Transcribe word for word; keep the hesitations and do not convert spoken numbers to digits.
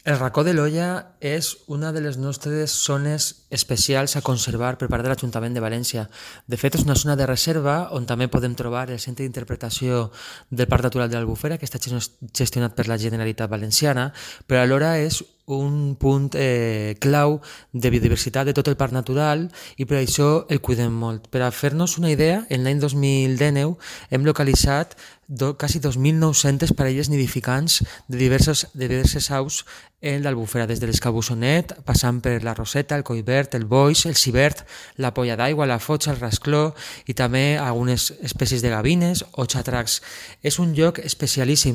El racó de l'Olla és una de les nostres zones especials a conservar per part de l'Ajuntament de València. De fet, és una zona de reserva on també podem trobar el centre d'interpretació del Parc Natural de l'Albufera, que està gestionat per la Generalitat Valenciana, però alhora és un punt eh, clau de biodiversitat de tot el parc natural i per això el cuidem molt. Per a fer-nos una idea, en l'any dos mil dinou hem localitzat do, quasi dos mil nou-centes parelles nidificants de diverses, de diverses aus en l'Albufera, des de l'escabussonet, passant per la roseta, el collverd, el boix, el cibert, la polla d'aigua, la fotxa, el rascló i també algunes espècies de gavines o xatracs. És un lloc especialíssim